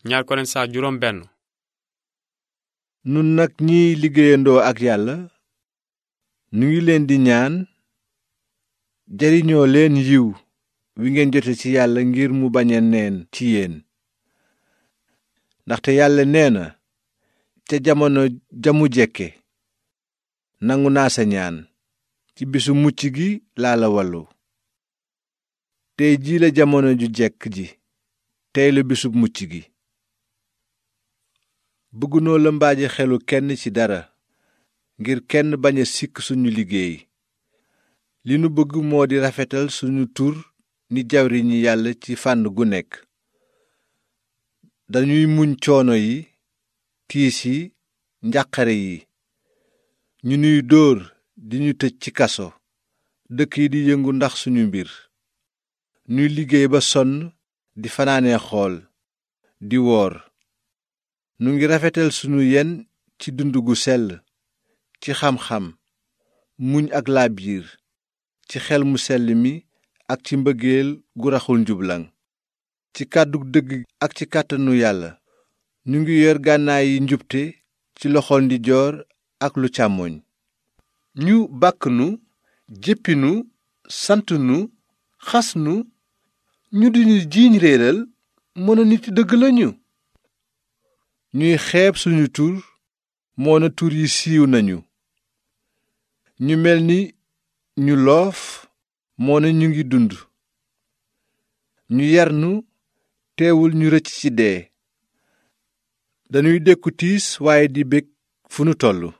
ñaar Korent saar juróom benn. nun nag ñiy liggéeyandoo ak yàlla nu ngi leen di ñaan jariñoo leen yiw wi ngeen jote ci yàlla ngir mu bañ a neen ci yéen. ndaxte yàlla nee na ca jamono jamu jekke nangu naa sa ñaan ci bisu mucc gi laa la wallu. tey jii la jamono ju jekk ji, tey la bisub mucc gi. bëggunoo lëmbaaji xelu kenn ci dara ngir kenn bañ a sikk suñu liggéey. li nu bëgg moo di rafetal suñu tur ni jawriñi yàlla ci fànn gu nekk. dañuy muñ coono yi, tiis yi, njàqare yi. ñu nuy dóor di ñu tëj ci kaso, dëkk yi di yëngu ndax suñu mbir. ñuy liggéey ba sonn, di fanaanee xool, di woor. nu ngi rafetal sunu yen ci dund gu sell, ci xam-xam, muñ ak laabiir, ci xel mu sell mi ak ci mbëggeel gu raxul njublaŋ, ci kàddu dëgg ak ci kàttanu yàlla. ñu ngi yor gànnaay yi njubte ci loxol ndijoor ak lu càmmoñ. ñu bàkk nu, jéppi nu, sant nu, xas nu, ñu di ñu jiiñ réeral, moona nit dëgg lañu. ñuy xeeb suñu tur, moona tur yi siiw nañu. ñu mel ni ñu loof, moona ñu ngi dund. ñu yar nu, teewul ñu rëcc ci dee. dañuy dékku tiis waaye di bég fu nu tollu.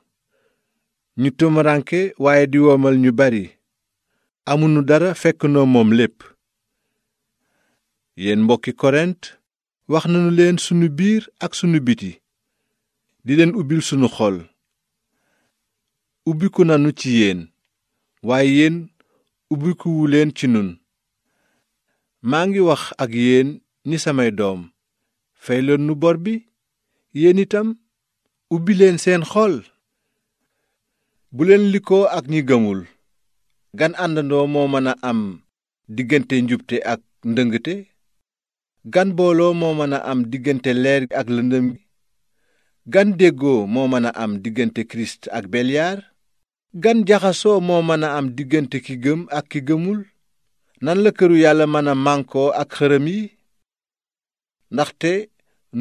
ñu tumuraanke waaye di womal ñu bari. amunu dara fekk noo moom lépp. yéen mbokki Korent, wax nanu leen sunu biir ak sunu biti, di leen ubbil sunu xol. ubbiku nanu ci yéen, waaye yéen ubbikuwu leen ci nun. maa ngi wax ak yéen ni samay doom, fay leen nu bor bi. yéen itam ubbi leen seen xol. bu leen likkoo ak ñi gëmul. gan àndandoo moo mën a am diggante njubte ak ndëngte? gan booloo moo mën a am diggante leer ak lëndëm gi? gan déggoo moo mën a am diggante kirist ak belyaar? gan jaxasoo moo mën a am diggante ki gëm ak ki gëmul? nan la këru yàlla mën a mànkoo ak xërëm yi? ndaxte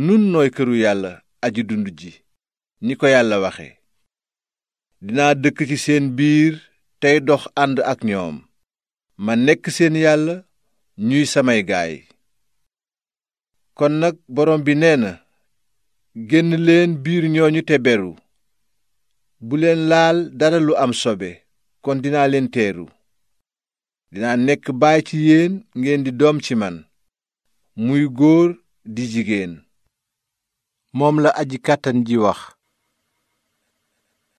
nun nooy këru yàlla aji dund ji, ni ko yàlla waxe. dinaa dëkk ci seen biir tey dox ànd ak ñoom, ma nekk seen yàlla, ñuy samay gaay. kon nag borom bi nee na, génn leen biir ñooñu te beru. bu leen laal dara lu am sobe, kon dinaa leen teeru. dinaa nekk baay ci yéen, ngeen di doom ci man, muy góor di jigéen. moom la aji kàttan ji wax.